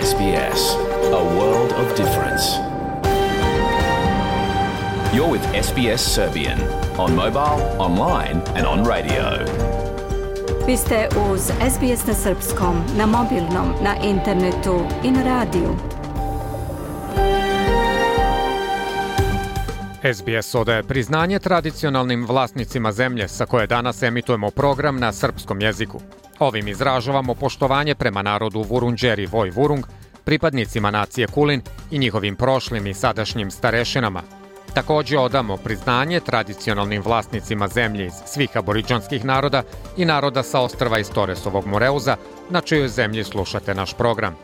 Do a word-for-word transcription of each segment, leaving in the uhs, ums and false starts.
S B S, a world of difference. You're with S B S Serbian on mobile, online and on radio. Vi ste uz S B S na srpskom, na mobilnom, na internetu i na radiju. S B S odaje priznanje tradicionalnim vlasnicima zemlje sa koje danas emitujemo program na srpskom jeziku. Ovim izražavamo poštovanje prema narodu Vurundjeri Voj Vurung, pripadnicima nacije Kulin i njihovim prošlim i sadašnjim starešinama. Također odamo priznanje tradicionalnim vlasnicima zemlje iz svih aboriđanskih naroda i naroda sa ostrva iz Toresovog Moreuza, na čijoj zemlji slušate naš program.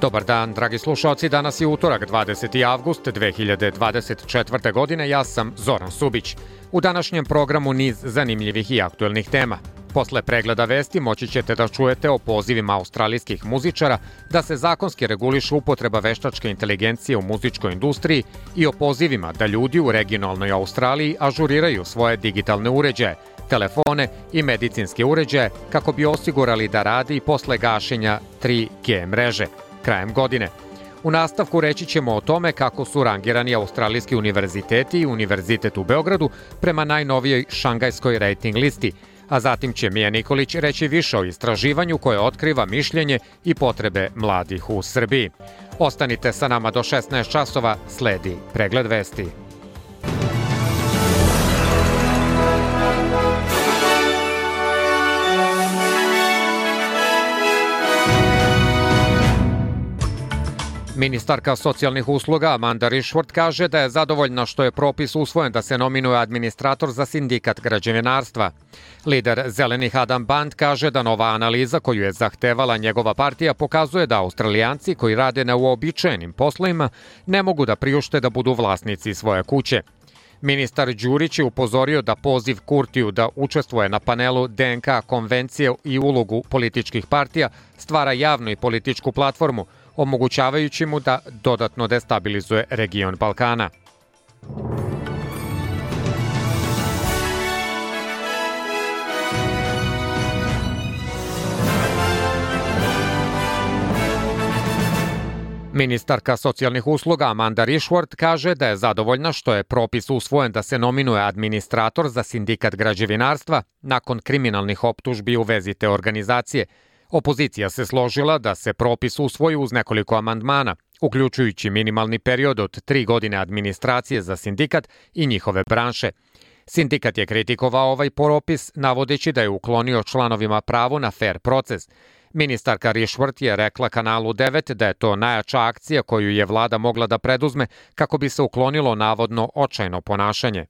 Dobar dan, dragi slušalci, danas je utorak, dvadeseti avgust dve hiljade dvadeset četvrte. godine, ja sam Zoran Subić. U današnjem programu niz zanimljivih i aktuelnih tema. Posle pregleda vesti moći ćete da čujete o pozivima australijskih muzičara da se zakonski reguliše upotreba veštačke inteligencije u muzičkoj industriji i o pozivima da ljudi u regionalnoj Australiji ažuriraju svoje digitalne uređaje, telefone i medicinske uređaje kako bi osigurali da radi i posle gašenja tri G mreže krajem godine. U nastavku reći ćemo o tome kako su rangirani australijski univerziteti i Univerzitet u Beogradu prema najnovijoj šangajskoj rating listi, a zatim će Mija Nikolić reći više o istraživanju koje otkriva mišljenje i potrebe mladih u Srbiji. Ostanite sa nama do šesnaest časova, sledi pregled vesti. Ministarka socijalnih usluga Amanda Rishworth kaže da je zadovoljna što je propis usvojen da se nominuje administrator za sindikat građevinarstva. Lider Zelenih Adam Band kaže da nova analiza koju je zahtevala njegova partija pokazuje da Australijanci koji rade na uobičajenim poslovima ne mogu da priušte da budu vlasnici svoje kuće. Ministar Đurić je upozorio da poziv Kurtiju da učestvuje na panelu D N K konvencije i ulogu političkih partija stvara javnu i političku platformu, omogućavajući mu da dodatno destabilizuje region Balkana. Ministarka socijalnih usluga Amanda Rishworth kaže da je zadovoljna što je propis usvojen da se nominuje administrator za sindikat građevinarstva nakon kriminalnih optužbi u vezi te organizacije. Opozicija se složila da se propis usvoji uz nekoliko amandmana, uključujući minimalni period od tri godine administracije za sindikat i njihove branše. Sindikat je kritikovao ovaj propis, navodeći da je uklonio članovima pravo na fer proces. Ministarka Rishworth je rekla kanalu devet da je to najjača akcija koju je vlada mogla da preduzme kako bi se uklonilo navodno očajno ponašanje.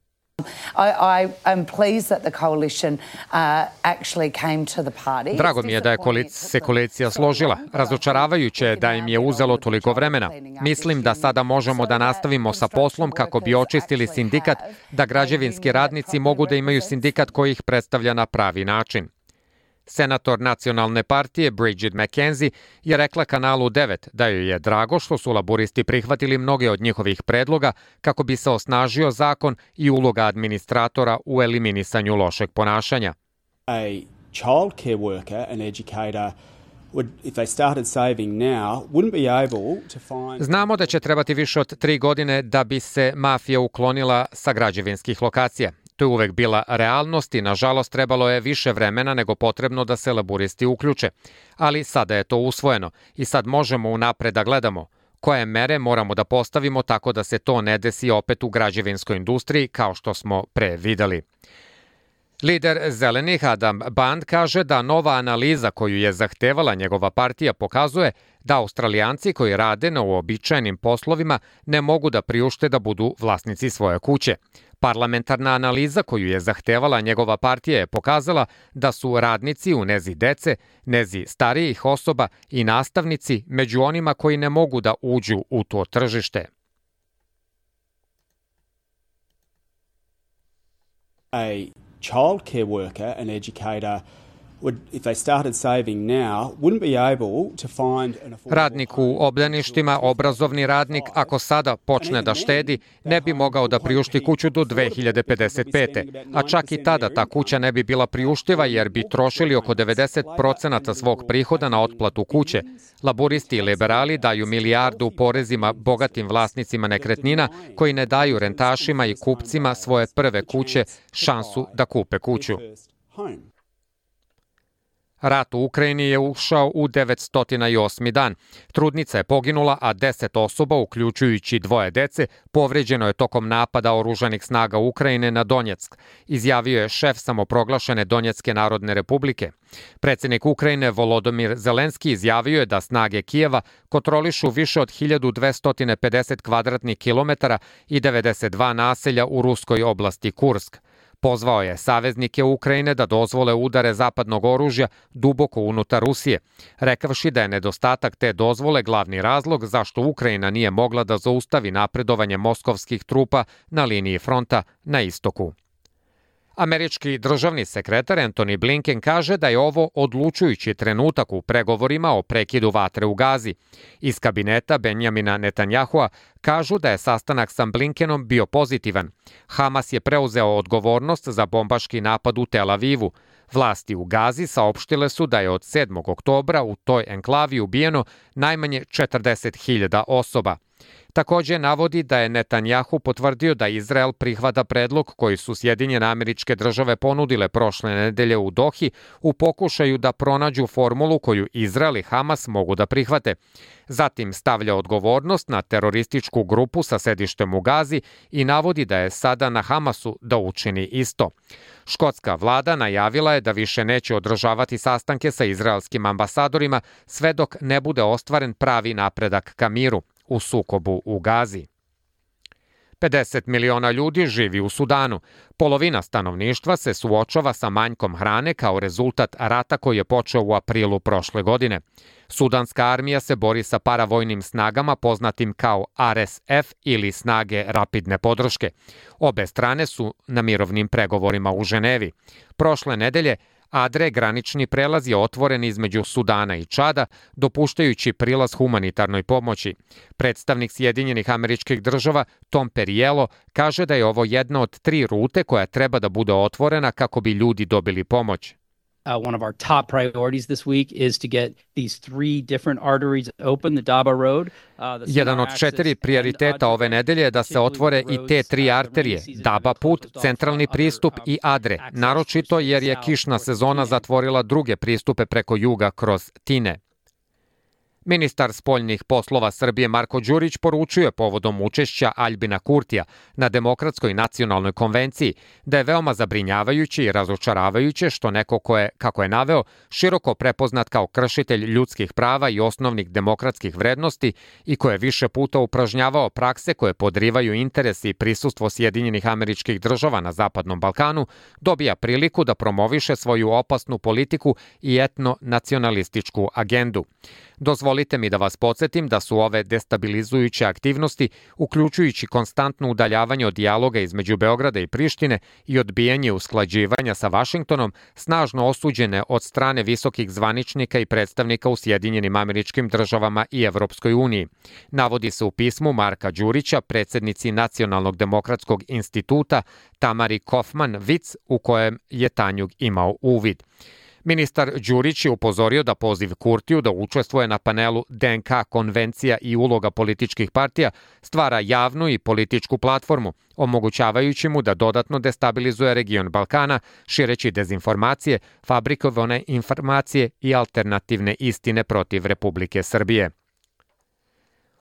Drago mi je da je se koalicija složila. Razočaravajuće je da im je uzelo toliko vremena. Mislim da sada možemo da nastavimo sa poslom kako bi očistili sindikat, da građevinski radnici mogu da imaju sindikat koji ih predstavlja na pravi način. Senator nacionalne partije Bridget McKenzie je rekla kanalu devet da joj je drago što su laburisti prihvatili mnoge od njihovih predloga kako bi se osnažio zakon i uloga administratora u eliminisanju lošeg ponašanja. A child care worker and educator would, if they started saving now, wouldn't be able to find... Znamo da će trebati više od tri godine da bi se mafija uklonila sa građevinskih lokacija. To je uvek bila realnost i, nažalost, trebalo je više vremena nego potrebno da se laburisti uključe. Ali sada je to usvojeno i sad možemo unapred da gledamo koje mere moramo da postavimo tako da se to ne desi opet u građevinskoj industriji kao što smo pre videli. Lider Zelenih Adam Band kaže da nova analiza koju je zahtevala njegova partija pokazuje da Australijanci koji rade na uobičajenim poslovima ne mogu da priušte da budu vlasnici svoje kuće. Parlamentarna analiza koju je zahtevala njegova partija je pokazala da su radnici u nezi dece, nezi starijih osoba i nastavnici među onima koji ne mogu da uđu u to tržište. A child care worker and educator Radnik u obdaništima, obrazovni radnik, ako sada počne da štedi, ne bi mogao da priušti kuću do dve hiljade pedeset pete. A čak i tada ta kuća ne bi bila priuštiva jer bi trošili oko devedeset procenata svog prihoda na otplatu kuće. Laburisti i liberali daju milijardu porezima bogatim vlasnicima nekretnina koji ne daju rentašima i kupcima svoje prve kuće šansu da kupe kuću. Rat u Ukrajini je ušao u devetsto osmi dan. Trudnica je poginula, a deset osoba, uključujući dvoje dece, povređeno je tokom napada oružanih snaga Ukrajine na Donjeck, izjavio je šef samoproglašene Donjecke narodne republike. Predsjednik Ukrajine Volodomir Zelenski izjavio je da snage Kijeva kontrolišu više od hiljadu dvesta pedeset kvadratnih kilometara i devedeset dva naselja u ruskoj oblasti Kursk. Pozvao je saveznike Ukrajine da dozvole udare zapadnog oružja duboko unutar Rusije, rekavši da je nedostatak te dozvole glavni razlog zašto Ukrajina nije mogla da zaustavi napredovanje moskovskih trupa na liniji fronta na istoku. Američki državni sekretar Antony Blinken kaže da je ovo odlučujući trenutak u pregovorima o prekidu vatre u Gazi. Iz kabineta Benjamina Netanjahua kažu da je sastanak sa Blinkenom bio pozitivan. Hamas je preuzeo odgovornost za bombaški napad u Tel Avivu. Vlasti u Gazi saopštile su da je od sedmog oktobra u toj enklavi ubijeno najmanje četrdeset hiljada osoba. Također navodi da je Netanjahu potvrdio da Izrael prihvata predlog koji su Sjedinjene Američke Države ponudile prošle nedelje u Dohi u pokušaju da pronađu formulu koju Izrael i Hamas mogu da prihvate. Zatim stavlja odgovornost na terorističku grupu sa sedištem u Gazi i navodi da je sada na Hamasu da učini isto. Škotska vlada najavila je da više neće održavati sastanke sa izraelskim ambasadorima sve dok ne bude ostvaren pravi napredak ka miru u sukobu u Gazi. pedeset miliona ljudi živi u Sudanu. Polovina stanovništva se suočava sa manjkom hrane kao rezultat rata koji je počeo u aprilu prošle godine. Sudanska armija se bori sa paravojnim snagama poznatim kao R S F ili snage rapidne podrške. Obe strane su na mirovnim pregovorima u Ženevi. Prošle nedelje Adre, granični prelaz, je otvoren između Sudana i Čada, dopuštajući prilaz humanitarnoj pomoći. Predstavnik Sjedinjenih Američkih Država Tom Perriello kaže da je ovo jedna od tri rute koja treba da bude otvorena kako bi ljudi dobili pomoć. Uh, one of our top priorities this week is to get these three different arteries open, the Daba Road. Uh, Jedan od četiri prioriteta ove nedelje je da se otvore i te tri arterije, Daba put, centralni pristup i Adre, naročito jer je kišna sezona zatvorila druge pristupe preko juga kroz Tine. Ministar spoljnih poslova Srbije Marko Đurić poručuje povodom učešća Aljbina Kurtija na Demokratskoj nacionalnoj konvenciji da je veoma zabrinjavajuće i razočaravajuće što neko ko je, kako je naveo, široko prepoznat kao kršitelj ljudskih prava i osnovnih demokratskih vrednosti i ko je više puta upražnjavao prakse koje podrivaju interesi i prisustvo Sjedinjenih Američkih Država na Zapadnom Balkanu, dobija priliku da promoviše svoju opasnu politiku i etno-nacionalističku agendu. Dozvolite mi da vas podsjetim da su ove destabilizujuće aktivnosti, uključujući konstantno udaljavanje od dijaloga između Beograda i Prištine i odbijanje usklađivanja sa Vašingtonom, snažno osuđene od strane visokih zvaničnika i predstavnika u Sjedinjenim Američkim Državama i Evropskoj uniji. Navodi se u pismu Marka Đurića, predsjednici Nacionalnog demokratskog instituta Tamari Kofman-Vic, u kojem je Tanjug imao uvid. Ministar Đurić je upozorio da poziv Kurtiju da učestvuje na panelu D N K konvencija i uloga političkih partija stvara javnu i političku platformu, omogućavajući mu da dodatno destabilizuje region Balkana, šireći dezinformacije, fabrikovane informacije i alternativne istine protiv Republike Srbije.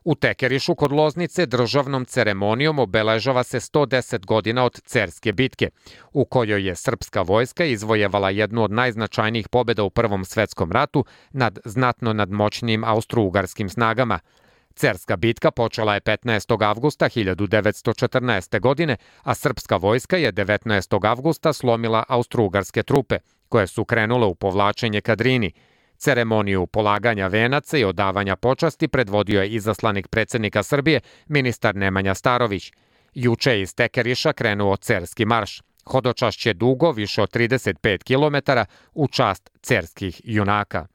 U Tekerišu kod Loznice državnom ceremonijom obeležava se sto deset godina od Cerske bitke, u kojoj je srpska vojska izvojevala jednu od najznačajnijih pobjeda u Prvom svetskom ratu nad znatno nadmoćnim austrougarskim snagama. Cerska bitka počela je petnaestog avgusta hiljadu devetsto četrnaeste. godine, a srpska vojska je devetnaestog avgusta slomila austrougarske trupe, koje su krenule u povlačenje ka Drini. Ceremoniju polaganja venaca i odavanja počasti predvodio je izaslanik predsjednika Srbije, ministar Nemanja Starović. Juče je iz Tekeriša krenuo Cerski marš. Hodočašće dugo više od trideset pet kilometara u čast cerskih junaka.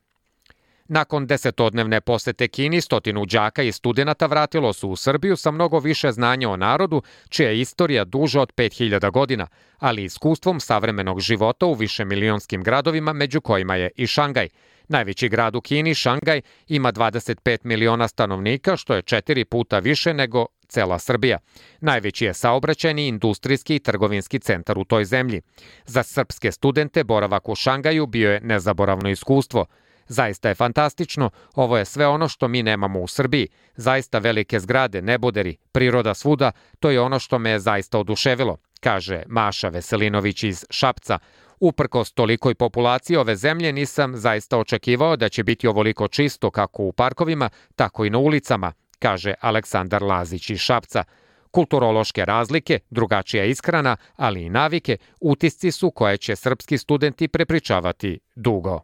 Nakon desetodnevne posete Kini, stotinu đaka i studenata vratilo su u Srbiju sa mnogo više znanja o narodu, čija je istorija duža od pet hiljada godina, ali iskustvom savremenog života u višemilionskim gradovima, među kojima je i Šangaj. Najveći grad u Kini, Šangaj, ima dvadeset pet miliona stanovnika, što je četiri puta više nego cela Srbija. Najveći je saobraćajni, industrijski i trgovinski centar u toj zemlji. Za srpske studente boravak u Šangaju bio je nezaboravno iskustvo. Zaista je fantastično, ovo je sve ono što mi nemamo u Srbiji. Zaista velike zgrade, neboderi, priroda svuda, to je ono što me je zaista oduševilo, kaže Maša Veselinović iz Šapca. Uprkos tolikoj populaciji ove zemlje nisam zaista očekivao da će biti ovoliko čisto kako u parkovima, tako i na ulicama, kaže Aleksandar Lazić iz Šapca. Kulturološke razlike, drugačija ishrana, ali i navike, utisci su koje će srpski studenti prepričavati dugo.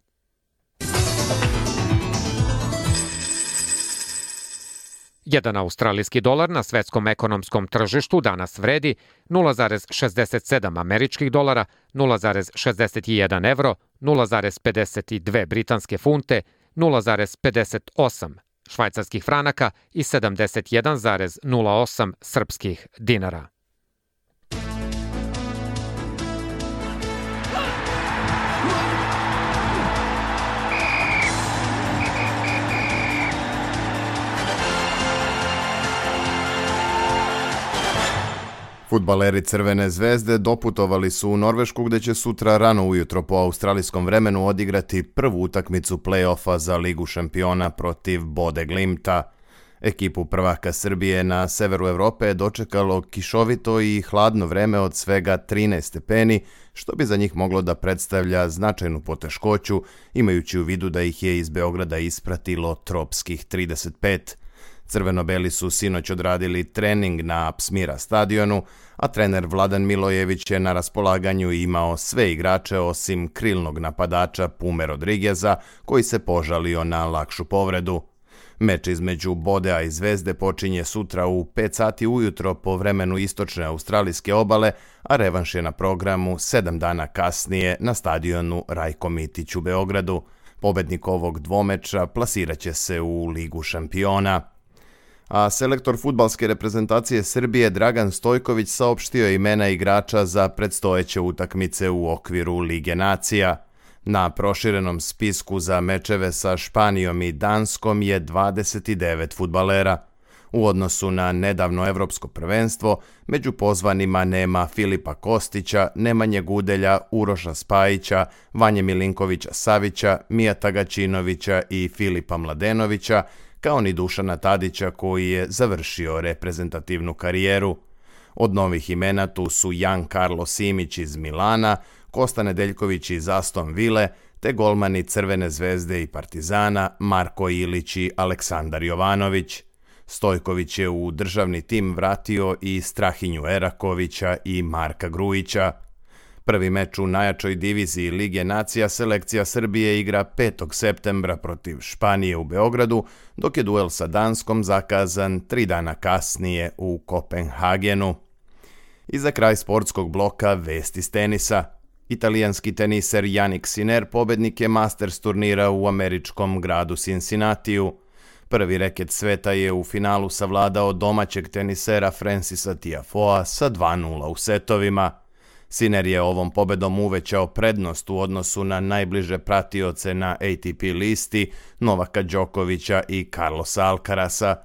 Jedan australijski dolar na svetskom ekonomskom tržištu danas vredi nula zarez šezdeset sedam američkih dolara, nula zarez šezdeset jedan evro, nula zarez pedeset dve britanske funte, nula zarez pedeset osam švajcarskih franaka i sedamdeset jedan zarez nula osam srpskih dinara. Fudbaleri Crvene zvezde doputovali su u Norvešku gde će sutra rano ujutro po australijskom vremenu odigrati prvu utakmicu play-offa za Ligu šampiona protiv Bode Glimta. Ekipu prvaka Srbije na severu Evrope je dočekalo kišovito i hladno vreme od svega trinaest stepeni, što bi za njih moglo da predstavlja značajnu poteškoću, imajući u vidu da ih je iz Beograda ispratilo tropskih trideset pet. Crveno-beli su sinoć odradili trening na Apsmira stadionu, a trener Vladan Milojević je na raspolaganju imao sve igrače osim krilnog napadača Pume Rodrigueza, koji se požalio na lakšu povredu. Meč između Bodea i Zvezde počinje sutra u pet sati ujutro po vremenu istočne australijske obale, a revanš je na programu sedam dana kasnije na stadionu Rajko Mitić u Beogradu. Pobednik ovog dvomeča plasiraće se u Ligu šampiona. A selektor fudbalske reprezentacije Srbije Dragan Stojković saopštio imena igrača za predstojeće utakmice u okviru Lige nacija. Na proširenom spisku za mečeve sa Španijom i Danskom je dvadeset devet fudbalera. U odnosu na nedavno evropsko prvenstvo, među pozvanima nema Filipa Kostića, Nemanje Gudelja, Uroša Spajića, Vanje Milinkovića Savića, Mijata Gaćinovića i Filipa Mladenovića, kao ni Dušana Tadića koji je završio reprezentativnu karijeru. Od novih imena tu su Jan Karlo Simić iz Milana, Kosta Nedeljković iz Aston Ville, te golmani Crvene zvezde i Partizana Marko Ilić i Aleksandar Jovanović. Stojković je u državni tim vratio i Strahinju Erakovića i Marka Grujića. Prvi meč u najjačoj diviziji Lige nacija selekcija Srbije igra petog septembra protiv Španije u Beogradu, dok je duel sa Danskom zakazan tri dana kasnije u Kopenhagenu. I za kraj sportskog bloka vesti iz tenisa. Italijanski teniser Jannik Sinner pobednik je Masters turnira u američkom gradu Cincinnatiju. Prvi reket sveta je u finalu savladao domaćeg tenisera Francisa Tiafoea sa dva nula u setovima. Sinner je ovom pobedom uvećao prednost u odnosu na najbliže pratioce na A T P listi Novaka Đokovića i Carlosa Alcarasa.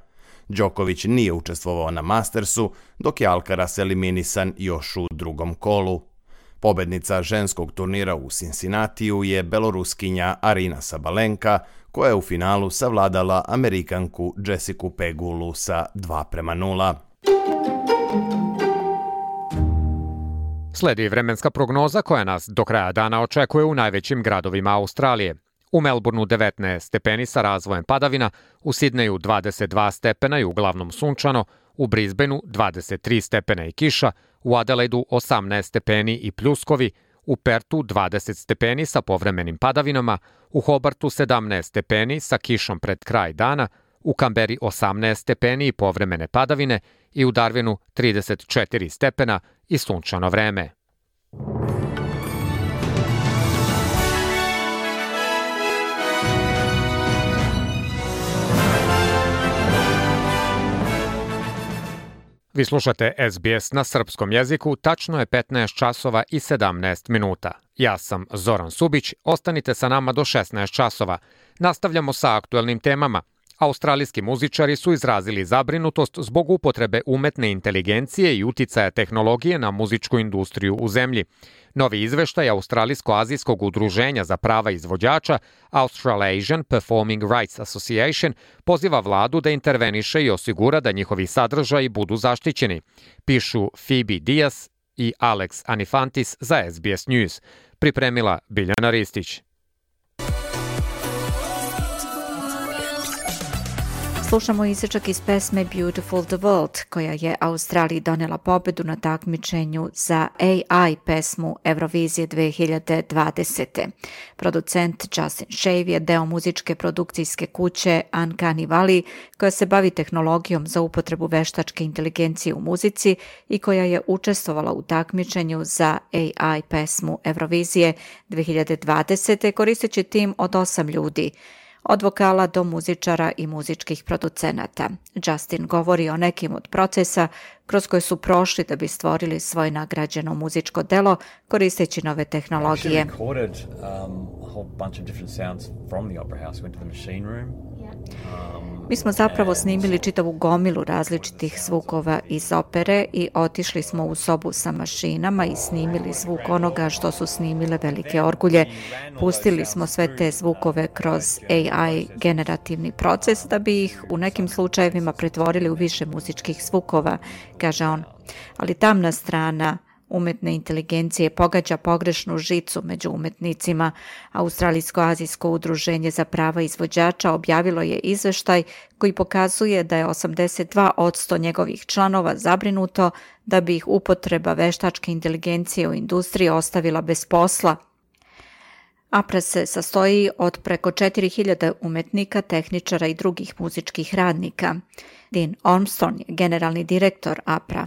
Đoković nije učestvovao na Mastersu, dok je Alcaraz eliminisan još u drugom kolu. Pobednica ženskog turnira u Cincinnatiju je beloruskinja Arina Sabalenka, koja je u finalu savladala Amerikanku Jessicu Pegulu sa dva prema nula. Sledi vremenska prognoza koja nas do kraja dana očekuje u najvećim gradovima Australije. U Melbourneu devetnaest stepeni sa razvojem padavina, u Sidneju dvadeset dva stepena i uglavnom sunčano, u Brisbaneu dvadeset tri stepena i kiša, u Adelaidu osamnaest stepeni i pljuskovi, u Pertu dvadeset stepeni sa povremenim padavinama, u Hobartu sedamnaest stepeni sa kišom pred kraj dana, u Kamberi osamnaest stepeni i povremene padavine i u Darwinu trideset četiri stepena i sunčano vreme. Vi slušate S B S na srpskom jeziku, tačno je petnaest časova i sedamnaest minuta. Ja sam Zoran Subić, ostanite sa nama do šesnaest časova. Nastavljamo sa aktuelnim temama. Australijski muzičari su izrazili zabrinutost zbog upotrebe umetne inteligencije i uticaja tehnologije na muzičku industriju u zemlji. Novi izveštaj Australijsko-azijskog udruženja za prava izvođača Australasian Performing Rights Association poziva vladu da interveniše i osigura da njihovi sadržaji budu zaštićeni, pišu Phoebe Diaz i Alex Anifantis za S B S News. Pripremila Biljana Ristić. Slušamo isječak iz pesme Beautiful the World, koja je Australiji donela pobedu na takmičenju za A I pesmu Eurovizije dve hiljade dvadesete. Producent Justin Shave je deo muzičke produkcijske kuće Uncanny Valley, koja se bavi tehnologijom za upotrebu veštačke inteligencije u muzici i koja je učestvovala u takmičenju za A I pesmu Eurovizije dve hiljade dvadesete koristeći tim od osam ljudi, od vokala do muzičara i muzičkih producenata. Justin govori o nekim od procesa kroz koje su prošli da bi stvorili svoje nagrađeno muzičko delo koristeći nove tehnologije. Mi smo zapravo snimili čitavu gomilu različitih zvukova iz opere i otišli smo u sobu sa mašinama i snimili zvuk onoga što su snimile velike orgulje. Pustili smo sve te zvukove kroz A I generativni proces da bi ih u nekim slučajevima pretvorili u više muzičkih zvukova, kaže on. Ali tamna strana umetne inteligencije pogađa pogrešnu žicu među umetnicima. Australijsko-azijsko udruženje za prava izvođača objavilo je izveštaj koji pokazuje da je osamdeset dva posto njegovih članova zabrinuto da bi ih upotreba veštačke inteligencije u industriji ostavila bez posla. A P R A se sastoji od preko četiri hiljade umetnika, tehničara i drugih muzičkih radnika. Dean Armstrong je generalni direktor A P R A.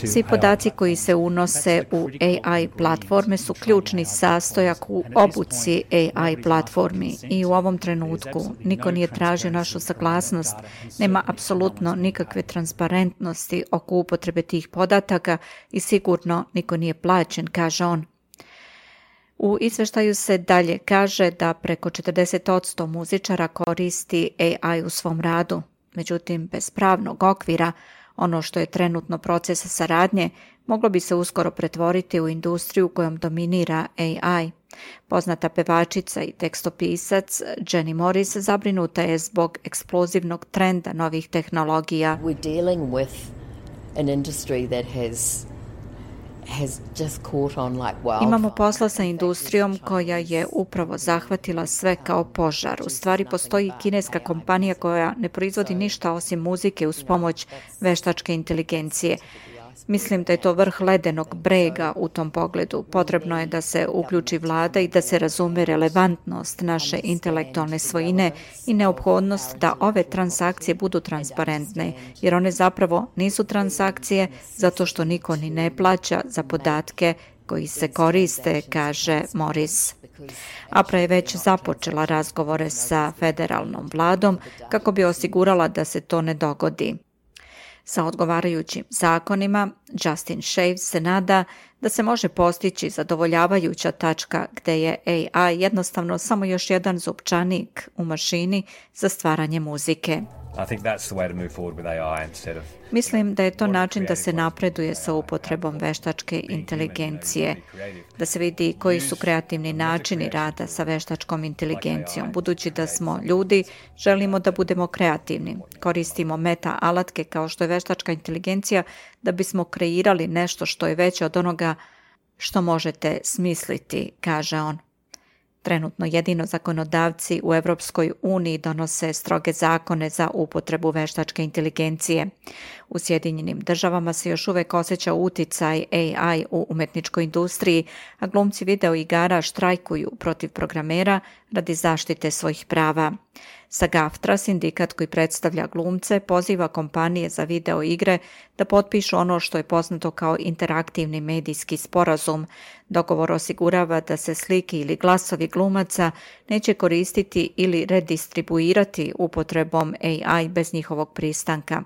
Svi podaci koji se unose u A I platforme su ključni sastojak u obuci A I platformi i u ovom trenutku niko nije tražio našu saglasnost. Nema apsolutno nikakve transparentnosti oko upotrebe tih podataka i sigurno niko nije plaćen, kaže on. U izveštaju se dalje kaže da preko četrdeset posto muzičara koristi A I u svom radu. Međutim, bez pravnog okvira, ono što je trenutno proces saradnje, moglo bi se uskoro pretvoriti u industriju kojom dominira A I. Poznata pevačica i tekstopisac Jenny Morris zabrinuta je zbog eksplozivnog trenda novih tehnologija. We're dealing with an industry that has Imamo posla sa industrijom koja je upravo zahvatila sve kao požar. U stvari postoji kineska kompanija koja ne proizvodi ništa osim muzike uz pomoć veštačke inteligencije. Mislim da je to vrh ledenog brega u tom pogledu. Potrebno je da se uključi vlada i da se razume relevantnost naše intelektualne svojine i neophodnost da ove transakcije budu transparentne, jer one zapravo nisu transakcije zato što niko ni ne plaća za podatke koji se koriste, kaže Morris. A P R A je već započela razgovore sa federalnom vladom kako bi osigurala da se to ne dogodi. Sa odgovarajućim zakonima, Justin Shave se nada da se može postići zadovoljavajuća tačka gde je A I jednostavno samo još jedan zupčanik u mašini za stvaranje muzike. Mislim da je to način da se napreduje sa upotrebom veštačke inteligencije, da se vidi koji su kreativni načini rada sa veštačkom inteligencijom. Budući da smo ljudi, želimo da budemo kreativni. Koristimo meta alatke kao što je veštačka inteligencija da bismo kreirali nešto što je veće od onoga što možete smisliti, kaže on. Trenutno jedino zakonodavci u Evropskoj uniji donose stroge zakone za upotrebu veštačke inteligencije. U Sjedinjenim državama se još uvek osjeća uticaj A I u umetničkoj industriji, a glumci video igara štrajkuju protiv programera radi zaštite svojih prava. SAG-AFTRA, sindikat koji predstavlja glumce, poziva kompanije za video igre da potpišu ono što je poznato kao interaktivni medijski sporazum. Dogovor osigurava da se slike ili glasovi glumaca neće koristiti ili redistribuirati upotrebom A I bez njihovog pristanka.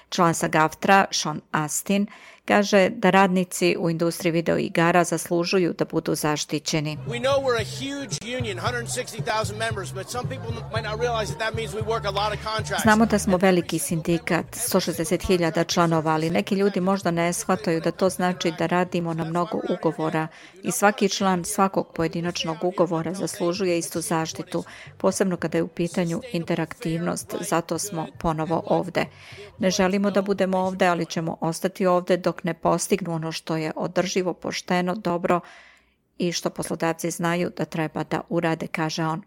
Član SAG-AFTRA, Sean Astin, kaže da radnici u industriji video igara zaslužuju da budu zaštićeni. Znamo da smo veliki sindikat, sto šezdeset hiljada članova, ali neki ljudi možda ne shvataju da to znači da radimo na mnogo ugovora i svaki član svakog pojedinačnog ugovora zaslužuje istu zaštitu, posebno kada je u pitanju interaktivnost, zato smo ponovo ovde. Ne želimo da budemo ovde, ali ćemo ostati ovde dok ne postignu ono što je održivo, pošteno, dobro i što poslodavci znaju da treba da urade, kaže on.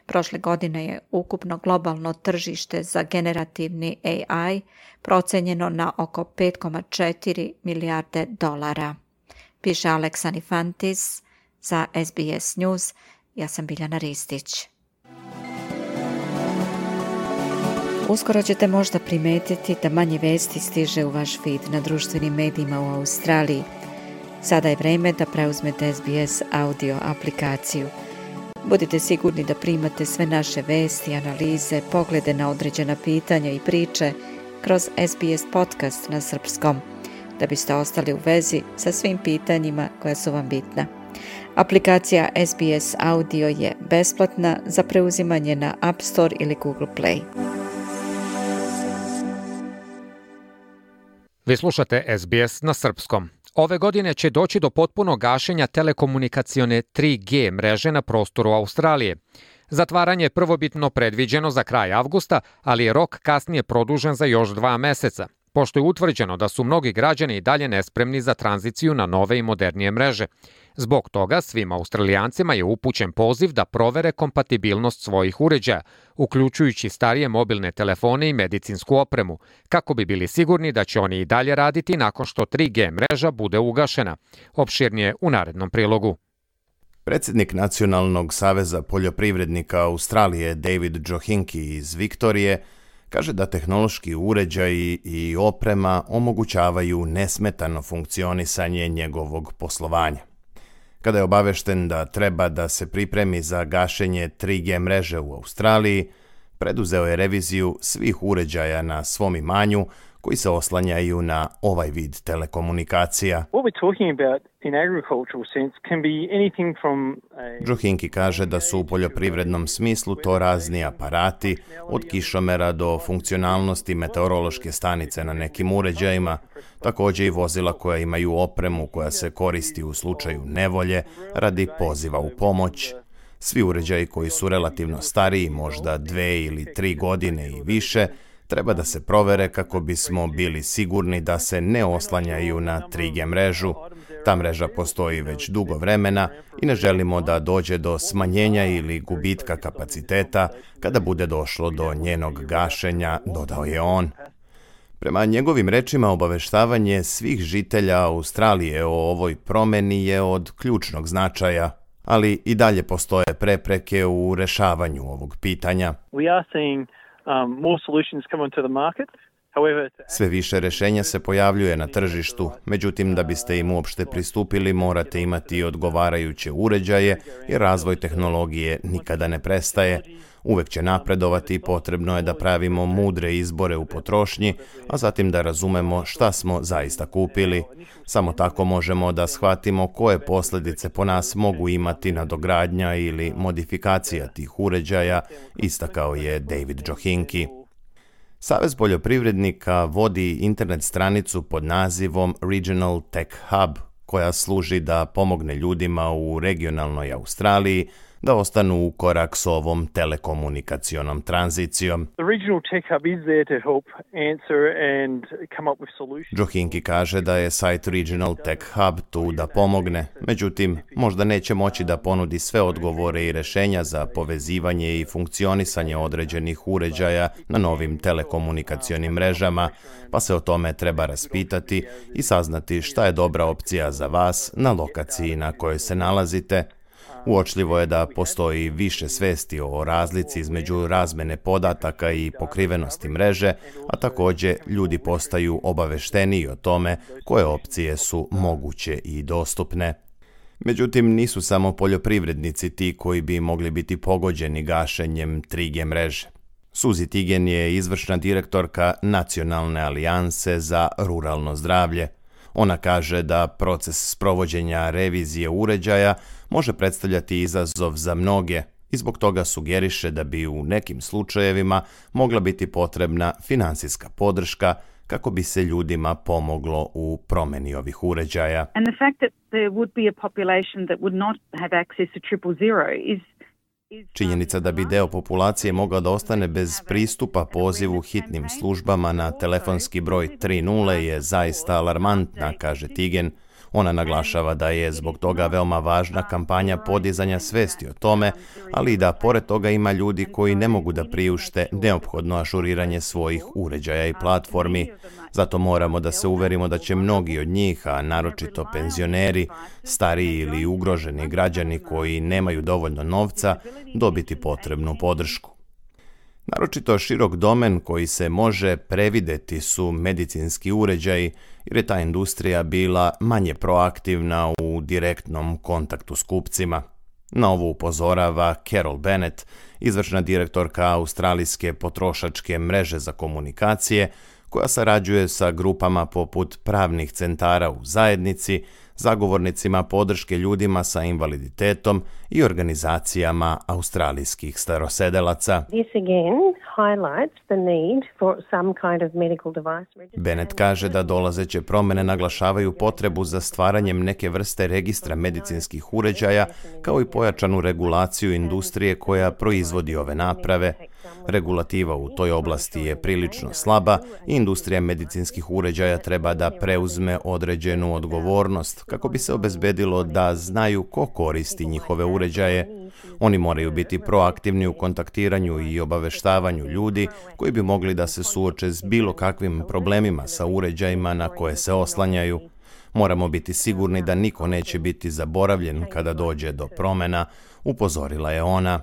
Prošle godine je ukupno globalno tržište za generativni A I procenjeno na oko pet zarez četiri milijarde dolara. Piše Aleksa Nifantis za S B S News. Ja sam Biljana Ristić. Uskoro ćete možda primetiti da manje vesti stiže u vaš feed na društvenim medijima u Australiji. Sada je vreme da preuzmete S B S audio aplikaciju. Budite sigurni da primate sve naše vesti, analize, poglede na određena pitanja i priče kroz S B S podcast na srpskom, da biste ostali u vezi sa svim pitanjima koja su vam bitna. Aplikacija S B S Audio je besplatna za preuzimanje na App Store ili Google Play. Vi slušate S B S na srpskom. Ove godine će doći do potpunog gašenja telekomunikacione tri G mreže na prostoru Australije. Zatvaranje je prvobitno predviđeno za kraj avgusta, ali je rok kasnije produžen za još dva meseca, pošto je utvrđeno da su mnogi građani i dalje nespremni za tranziciju na nove i modernije mreže. Zbog toga svim Australijancima je upućen poziv da provere kompatibilnost svojih uređaja, uključujući starije mobilne telefone i medicinsku opremu, kako bi bili sigurni da će oni i dalje raditi nakon što tri G mreža bude ugašena. Opširnije u narednom prilogu. Predsjednik Nacionalnog saveza poljoprivrednika Australije David Johinki iz Viktorije kaže da tehnološki uređaji i oprema omogućavaju nesmetano funkcionisanje njegovog poslovanja. Kada je obavešten da treba da se pripremi za gašenje tri G mreže u Australiji, preduzeo je reviziju svih uređaja na svom imanju koji se oslanjaju na ovaj vid telekomunikacija. Johinki kaže da su u poljoprivrednom smislu to razni aparati, od kišomera do funkcionalnosti meteorološke stanice na nekim uređajima, također i vozila koja imaju opremu koja se koristi u slučaju nevolje radi poziva u pomoć. Svi uređaji koji su relativno stariji, možda dve ili tri godine i više, treba da se provere kako bismo bili sigurni da se ne oslanjaju na tri G mrežu. Ta mreža postoji već dugo vremena i ne želimo da dođe do smanjenja ili gubitka kapaciteta kada bude došlo do njenog gašenja, dodao je on. Prema njegovim rečima, obaveštavanje svih žitelja Australije o ovoj promeni je od ključnog značaja, ali i dalje postoje prepreke u rešavanju ovog pitanja. We are seeing um, more solutions come onto the market. Sve više rješenja se pojavljuje na tržištu, međutim da biste im uopšte pristupili morate imati odgovarajuće uređaje jer razvoj tehnologije nikada ne prestaje. Uvek će napredovati i potrebno je da pravimo mudre izbore u potrošnji, a zatim da razumemo šta smo zaista kupili. Samo tako možemo da shvatimo koje posljedice po nas mogu imati nadogradnja ili modifikacija tih uređaja, istakao je David Johinki. Savez poljoprivrednika vodi internet stranicu pod nazivom Regional Tech Hub, koja služi da pomogne ljudima u regionalnoj Australiji da ostanu u korak s ovom telekomunikacionom tranzicijom. Johinki kaže da je sajt Regional Tech Hub tu da pomogne, međutim, možda neće moći da ponudi sve odgovore i rješenja za povezivanje i funkcionisanje određenih uređaja na novim telekomunikacionim mrežama, pa se o tome treba raspitati i saznati šta je dobra opcija za vas na lokaciji na kojoj se nalazite. Uočljivo je da postoji više svesti o razlici između razmene podataka i pokrivenosti mreže, a također ljudi postaju obavešteniji o tome koje opcije su moguće i dostupne. Međutim, nisu samo poljoprivrednici ti koji bi mogli biti pogođeni gašenjem tri G mreže. Suzy Tigen je izvršna direktorka Nacionalne alijanse za ruralno zdravlje. Ona kaže da proces sprovođenja revizije uređaja može predstavljati izazov za mnoge i zbog toga sugeriše da bi u nekim slučajevima mogla biti potrebna finansijska podrška kako bi se ljudima pomoglo u promjeni ovih uređaja. And the fact that there would be a population that would not have access to triple zero is Činjenica da bi deo populacije mogao da ostane bez pristupa pozivu hitnim službama na telefonski broj tri nula je zaista alarmantna, kaže Tigen. Ona naglašava da je zbog toga veoma važna kampanja podizanja svesti o tome, ali i da pored toga ima ljudi koji ne mogu da priušte neophodno ažuriranje svojih uređaja i platformi. Zato moramo da se uverimo da će mnogi od njih, a naročito penzioneri, stariji ili ugroženi građani koji nemaju dovoljno novca, dobiti potrebnu podršku. Naročito širok domen koji se može prevideti su medicinski uređaji, jer je ta industrija bila manje proaktivna u direktnom kontaktu s kupcima. Na ovo upozorava Carol Bennett, izvršna direktorka Australijske potrošačke mreže za komunikacije, koja sarađuje sa grupama poput pravnih centara u zajednici, zagovornicima podrške ljudima sa invaliditetom i organizacijama australijskih starosedelaca. Bennett kaže da dolazeće promjene naglašavaju potrebu za stvaranjem neke vrste registra medicinskih uređaja, kao i pojačanu regulaciju industrije koja proizvodi ove naprave. Regulativa u toj oblasti je prilično slaba i industrija medicinskih uređaja treba da preuzme određenu odgovornost kako bi se obezbedilo da znaju ko koristi njihove uređaje. Oni moraju biti proaktivni u kontaktiranju i obaveštavanju ljudi koji bi mogli da se suoče s bilo kakvim problemima sa uređajima na koje se oslanjaju. Moramo biti sigurni da niko neće biti zaboravljen kada dođe do promjena, upozorila je ona.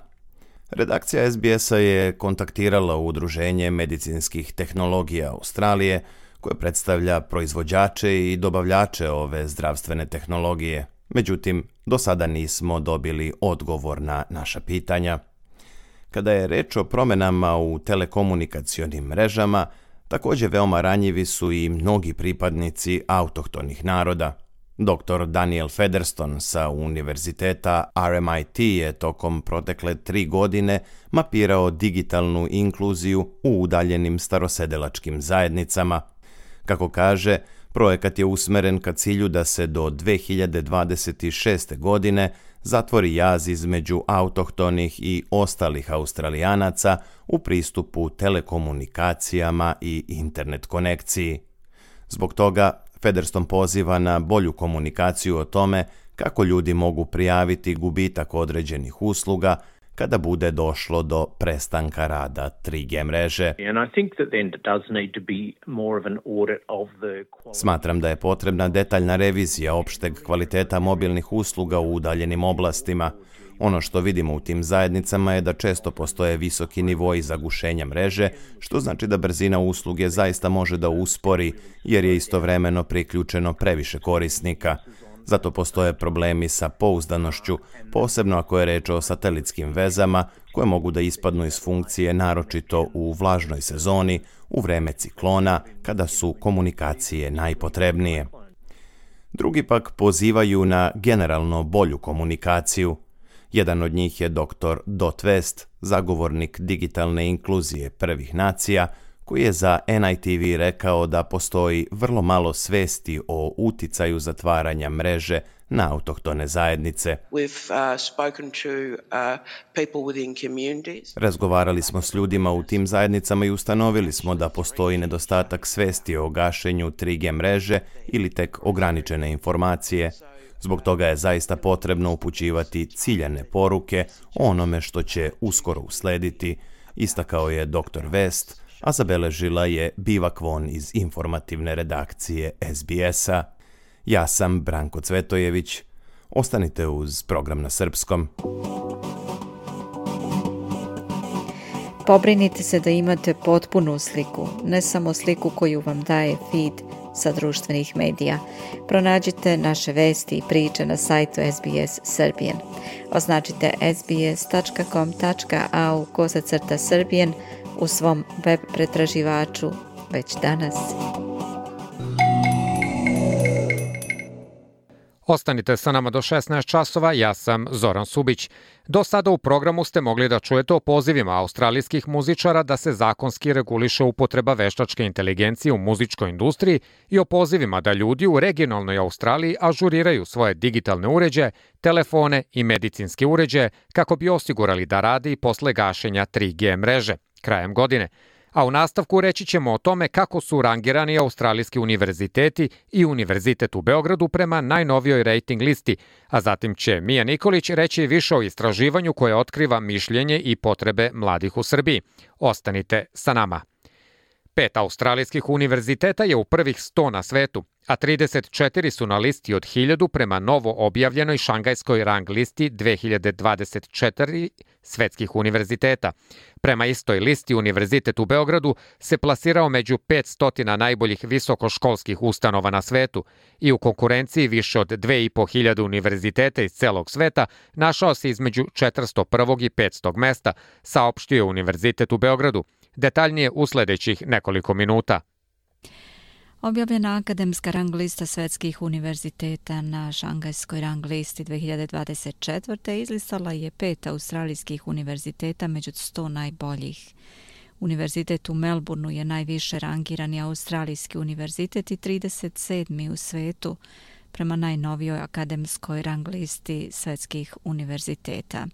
Redakcija S B S-a je kontaktirala Udruženje medicinskih tehnologija Australije, koje predstavlja proizvođače i dobavljače ove zdravstvene tehnologije. Međutim, do sada nismo dobili odgovor na naša pitanja. Kada je reč o promjenama u telekomunikacionim mrežama, također veoma ranjivi su i mnogi pripadnici autohtonih naroda. doktor Daniel Featherston sa univerziteta R M I T je tokom protekle tri godine mapirao digitalnu inkluziju u udaljenim starosedelačkim zajednicama. Kako kaže, projekat je usmeren ka cilju da se do dve hiljade dvadeset šeste. godine zatvori jaz između autohtonih i ostalih Australijanaca u pristupu telekomunikacijama i internet konekciji. Zbog toga Featherston poziva na bolju komunikaciju o tome kako ljudi mogu prijaviti gubitak određenih usluga kada bude došlo do prestanka rada tri G mreže. Smatram da je potrebna detaljna revizija opšteg kvaliteta mobilnih usluga u udaljenim oblastima. Ono što vidimo u tim zajednicama je da često postoje visoki nivoi zagušenja mreže, što znači da brzina usluge zaista može da uspori, jer je istovremeno priključeno previše korisnika. Zato postoje problemi sa pouzdanošću, posebno ako je reč o satelitskim vezama, koje mogu da ispadnu iz funkcije naročito u vlažnoj sezoni, u vreme ciklona, kada su komunikacije najpotrebnije. Drugi pak pozivaju na generalno bolju komunikaciju. Jedan od njih je doktor Dot West, zagovornik digitalne inkluzije prvih nacija, koji je za N I T V rekao da postoji vrlo malo svesti o uticaju zatvaranja mreže na autohtone zajednice. Razgovarali smo s ljudima u tim zajednicama i ustanovili smo da postoji nedostatak svesti o gašenju tri G mreže ili tek ograničene informacije. Zbog toga je zaista potrebno upućivati ciljane poruke o onome što će uskoro uslediti, istakao je doktor West, a zabeležila je Biva Kvon iz informativne redakcije S B S-a. Ja sam Branko Cvetojević. Ostanite uz program na srpskom. Pobrinite se da imate potpunu sliku, ne samo sliku koju vam daje feed sa društvenih medija. Pronađite naše vesti i priče na sajtu S B S Serbian. Označite s b s tačka com tačka a u kosacrta Serbian u svom web pretraživaču već danas. Ostanite sa nama do šesnaest časova, ja sam Zoran Subić. Do sada u programu ste mogli da čujete o pozivima australijskih muzičara da se zakonski reguliše upotreba veštačke inteligencije u muzičkoj industriji i o pozivima da ljudi u regionalnoj Australiji ažuriraju svoje digitalne uređaje, telefone i medicinske uređaje kako bi osigurali da rade i posle gašenja tri G mreže krajem godine. A u nastavku reći ćemo o tome kako su rangirani australijski univerziteti i Univerzitet u Beogradu prema najnovijoj rating listi, a zatim će Mija Nikolić reći više o istraživanju koje otkriva mišljenje i potrebe mladih u Srbiji. Ostanite sa nama. Pet australijskih univerziteta je u prvih sto na svetu, a trideset četiri su na listi od hiljadu prema novo objavljenoj šangajskoj rang listi dve hiljade dvadeset četiri svetskih univerziteta. Prema istoj listi Univerzitet u Beogradu se plasirao među petsto najboljih visokoškolskih ustanova na svetu i u konkurenciji više od dve i po hiljade univerziteta iz celog sveta našao se između četiristo prvog i petstog mesta, saopštio Univerzitet u Beogradu. Detaljnije u sledećih nekoliko minuta. Objavljena akademska rang lista svetskih univerziteta na šangajskoj rang listi dve hiljade dvadeset četvrte izlistala je pet australijskih univerziteta među sto najboljih. Univerzitet u Melbourneu je najviše rangirani australijski univerzitet i trideset sedmi u svetu prema najnovijoj akademskoj rang listi svetskih univerziteta.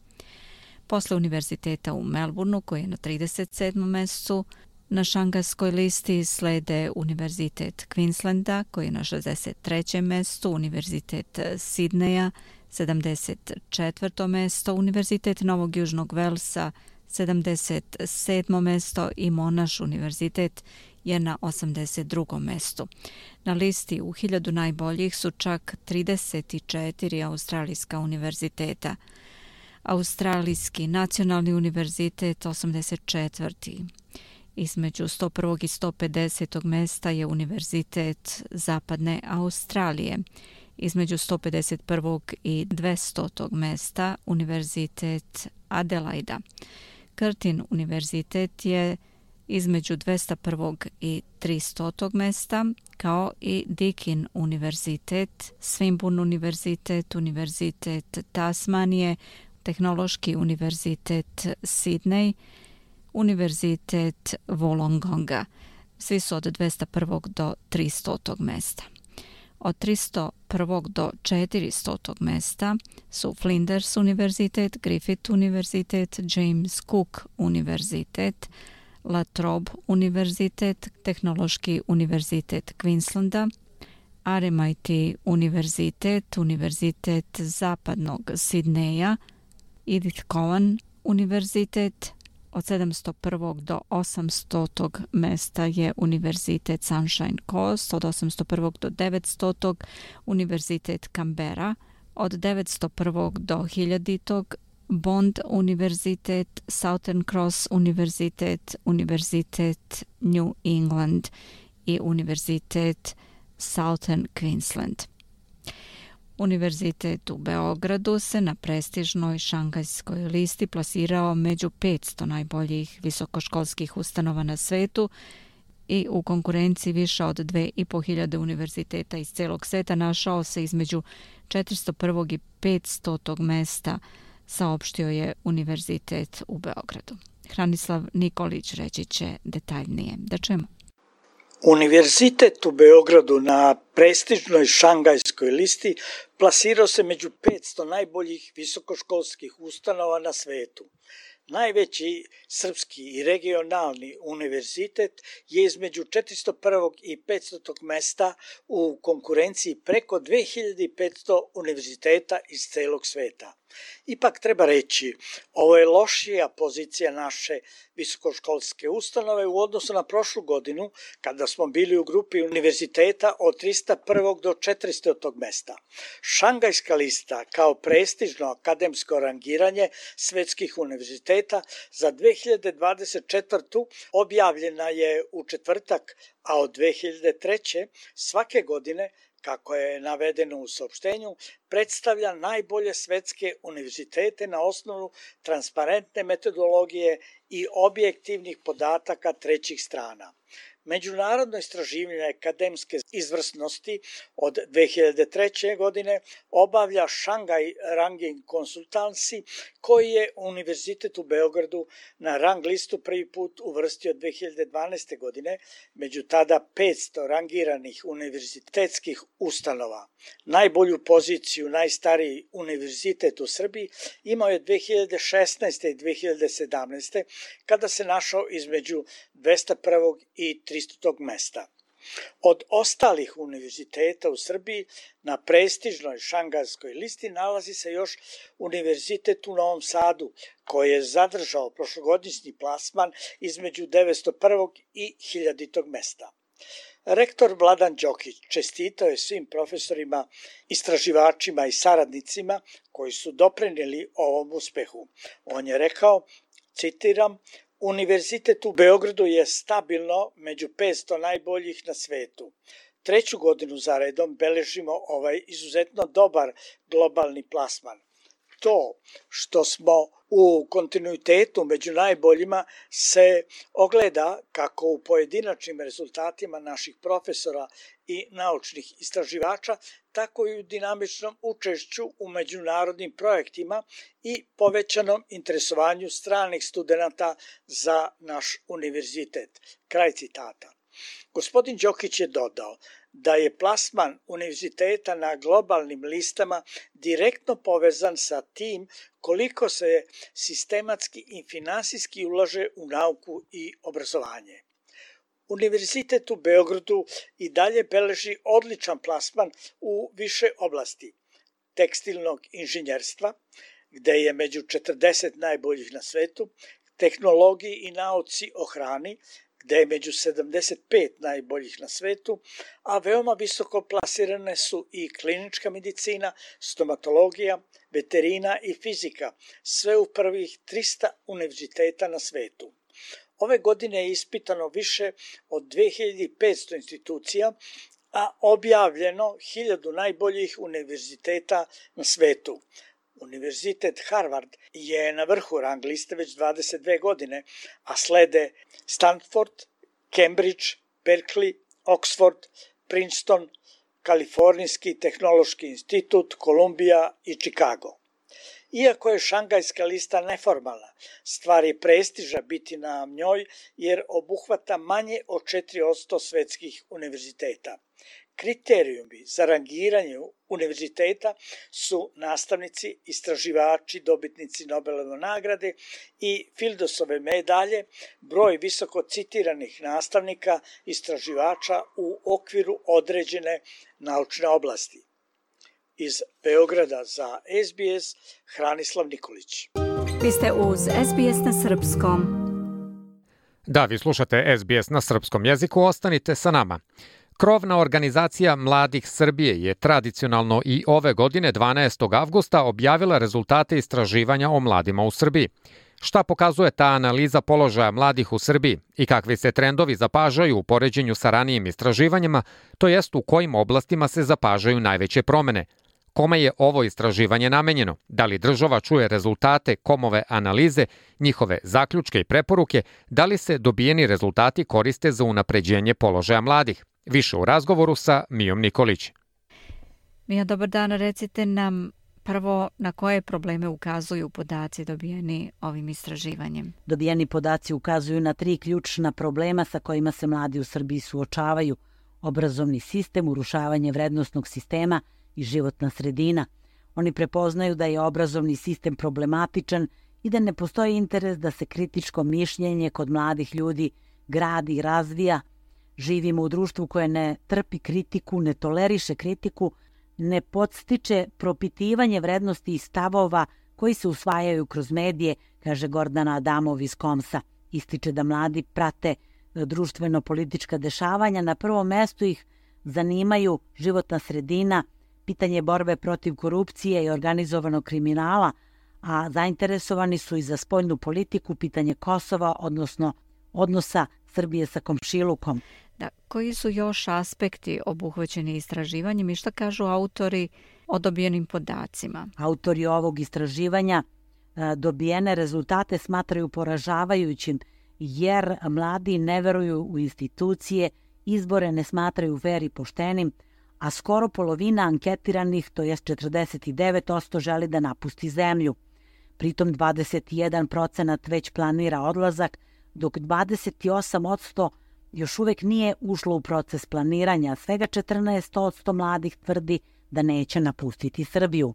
Posle univerziteta u Melbourneu, koji je na trideset sedmom mestu, na šangajskoj listi slede Univerzitet Queenslanda, koji je na šezdeset trećem mestu, Univerzitet Sidneja, sedamdeset četvrto mesto, Univerzitet Novog Južnog Velsa, sedamdeset sedmo mesto i Monash univerzitet je na osamdeset drugom mestu. Na listi u hiljadu najboljih su čak trideset četiri australijska univerziteta. Australijski nacionalni univerzitet osamdeset četvrti Između sto prvog i sto pedesetog mesta je Univerzitet Zapadne Australije. Između sto pedeset prvog i dvestotog mesta Univerzitet Adelaida. Curtin univerzitet je između dvesta prvog i tristotog mesta, kao i Deakin univerzitet, Swinburne univerzitet, Univerzitet Tasmanije, Tehnološki univerzitet Sydney, Univerzitet Wollongonga. Svi su od dvesta prvog do tristotog mesta. Od tristo prvog do četiristotog mesta su Flinders univerzitet, Griffith univerzitet, James Cook univerzitet, La Trobe univerzitet, Tehnološki univerzitet Queenslanda, R M I T univerzitet, Univerzitet Zapadnog Sidneja, Edith Cowan univerzitet. Od sedamsto prvog do osamstotog mesta je Univerzitet Sunshine Coast, od osamsto prvog do devetstotog Univerzitet Canberra, od devetsto prvog do hiljaditog Bond univerzitet, Southern Cross univerzitet, Univerzitet New England i Univerzitet Southern Queensland. Univerzitet u Beogradu se na prestižnoj šangajskoj listi plasirao među petsto najboljih visokoškolskih ustanova na svetu i u konkurenciji više od dve i po hiljade univerziteta iz celog sveta našao se između četiristo prvog i petstotog mesta, saopštio je Univerzitet u Beogradu. Hranislav Nikolić reći će detaljnije. Da čujemo. Univerzitet u Beogradu na prestižnoj šangajskoj listi plasirao se među petsto najboljih visokoškolskih ustanova na svetu. Najveći srpski i regionalni univerzitet je između četiristo prvog i petsto mesta u konkurenciji preko dve hiljade petsto univerziteta iz celog sveta. Ipak treba reći, ovo je lošija pozicija naše visokoškolske ustanove u odnosu na prošlu godinu, kada smo bili u grupi univerziteta od tristo prvog do četiristo mesta. Šangajska lista kao prestižno akademsko rangiranje svetskih univerziteta za dve hiljade dvadeset četvrtu objavljena je u četvrtak, a od dve hiljade treće svake godine, kako je navedeno u saopštenju, predstavlja najbolje svetske univerzitete na osnovu transparentne metodologije i objektivnih podataka trećih strana. Međunarodno istraživanje akademske izvrsnosti od dve hiljade treće. godine obavlja Shanghai Ranking Consultancy, koji je Univerzitet u Beogradu na rang listu prvi put uvrstio dve hiljade dvanaeste. godine među tada petsto rangiranih univerzitetskih ustanova. Najbolju poziciju najstariji univerzitet u Srbiji imao je dve hiljade šesnaeste. i dve hiljade sedamnaeste. kada se našao između dvesta prvog i tristo mesta. Od ostalih univerziteta u Srbiji na prestižnoj šangajskoj listi nalazi se još Univerzitet u Novom Sadu, koji je zadržao prošlogodišnji plasman između devetsto prvog i hiljaditog mesta. Rektor Vladan Đokić čestitao je svim profesorima, istraživačima i saradnicima koji su doprineli ovom uspehu. On je rekao, citiram, Univerzitet u Beogradu je stabilno među petsto najboljih na svetu. Treću godinu za redom beležimo ovaj izuzetno dobar globalni plasman. To što smo u kontinuitetu među najboljima se ogleda kako u pojedinačnim rezultatima naših profesora i naučnih istraživača, tako i u dinamičnom učešću u međunarodnim projektima i povećanom interesovanju stranih studenata za naš univerzitet. Kraj citata. Gospodin Đokić je dodao da je plasman univerziteta na globalnim listama direktno povezan sa tim koliko se sistematski i finansijski ulaže u nauku i obrazovanje. Univerzitet u Beogradu i dalje beleži odličan plasman u više oblasti tekstilnog inženjerstva, gde je među četrdeset najboljih na svetu, tehnologiji i nauci o hrani, gde je među sedamdeset pet najboljih na svetu, a veoma visoko plasirane su i klinička medicina, stomatologija, veterina i fizika, sve u prvih trista univerziteta na svetu. Ove godine je ispitano više od dve hiljade petsto institucija, a objavljeno hiljadu najboljih univerziteta na svetu. Univerzitet Harvard je na vrhu rang liste već dvadeset dve godine, a slede Stanford, Cambridge, Berkeley, Oxford, Princeton, Kalifornijski tehnološki institut, Kolumbija i Chicago. Iako je šangajska lista neformalna, stvar je prestiža biti na njoj jer obuhvata manje od četiri posto svetskih univerziteta. Kriterijumi za rangiranje univerziteta su nastavnici, istraživači, dobitnici Nobelove nagrade i Fieldosove medalje, broj visoko citiranih nastavnika, istraživača u okviru određene naučne oblasti. Iz Beograda za S B S, Hranislav Nikolić. Vi ste uz S B S na srpskom. Da, vi slušate S B S na srpskom jeziku, ostanite sa nama. Krovna organizacija Mladih Srbije je tradicionalno i ove godine dvanaestog avgusta objavila rezultate istraživanja o mladima u Srbiji. Šta pokazuje ta analiza položaja mladih u Srbiji i kakvi se trendovi zapažaju u poređenju sa ranijim istraživanjima, to jest u kojim oblastima se zapažaju najveće promene? Kome je ovo istraživanje namenjeno? Da li država čuje rezultate komove analize, njihove zaključke i preporuke, da li se dobijeni rezultati koriste za unapređenje položaja mladih? Više u razgovoru sa Mijom Nikolić. Mija, dobar dan, recite nam prvo na koje probleme ukazuju podaci dobijeni ovim istraživanjem. Dobijeni podaci ukazuju na tri ključna problema sa kojima se mladi u Srbiji suočavaju: obrazovni sistem, urušavanje vrednosnog sistema i životna sredina. Oni prepoznaju da je obrazovni sistem problematičan i da ne postoji interes da se kritičko mišljenje kod mladih ljudi gradi i razvija. Živimo u društvu koje ne trpi kritiku, ne toleriše kritiku, ne podstiče propitivanje vrednosti i stavova koji se usvajaju kroz medije, kaže Gordana Adamov iz Komsa. Ističe da mladi prate društveno-politička dešavanja. Na prvom mestu ih zanimaju životna sredina, pitanje borbe protiv korupcije i organizovanog kriminala, a zainteresovani su i za spoljnu politiku, pitanje Kosova, odnosno odnosa Srbije sa komšilukom. Da, koji su još aspekti obuhvaćeni istraživanjem i šta kažu autori o dobijenim podacima? Autori ovog istraživanja dobijene rezultate smatraju poražavajućim jer mladi ne veruju u institucije, izbore ne smatraju fer i poštenim, a skoro polovina anketiranih, to jest četrdeset devet posto, želi da napusti zemlju. Pritom dvadeset jedan procenat već planira odlazak, dok dvadeset osam posto još uvek nije ušlo u proces planiranja. Svega četrnaest posto mladih tvrdi da neće napustiti Srbiju.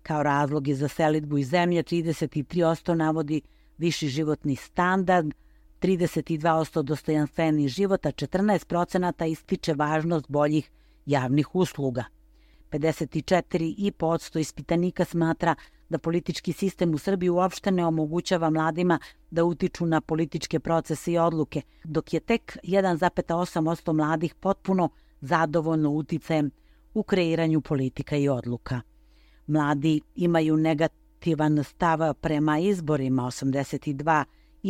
Kao razlogi za selidbu iz zemlje trideset tri posto navodi viši životni standard, trideset dva posto dostojanstveniji život, a četrnaest procenata ističe važnost boljih javnih usluga. pedeset četiri posto ispitanika smatra da politički sistem u Srbiji uopšte ne omogućava mladima da utiču na političke procese i odluke, dok je tek jedan zarez osam posto mladih potpuno zadovoljno uticajem u kreiranju politika i odluka. Mladi imaju negativan stav prema izborima, osamdeset dva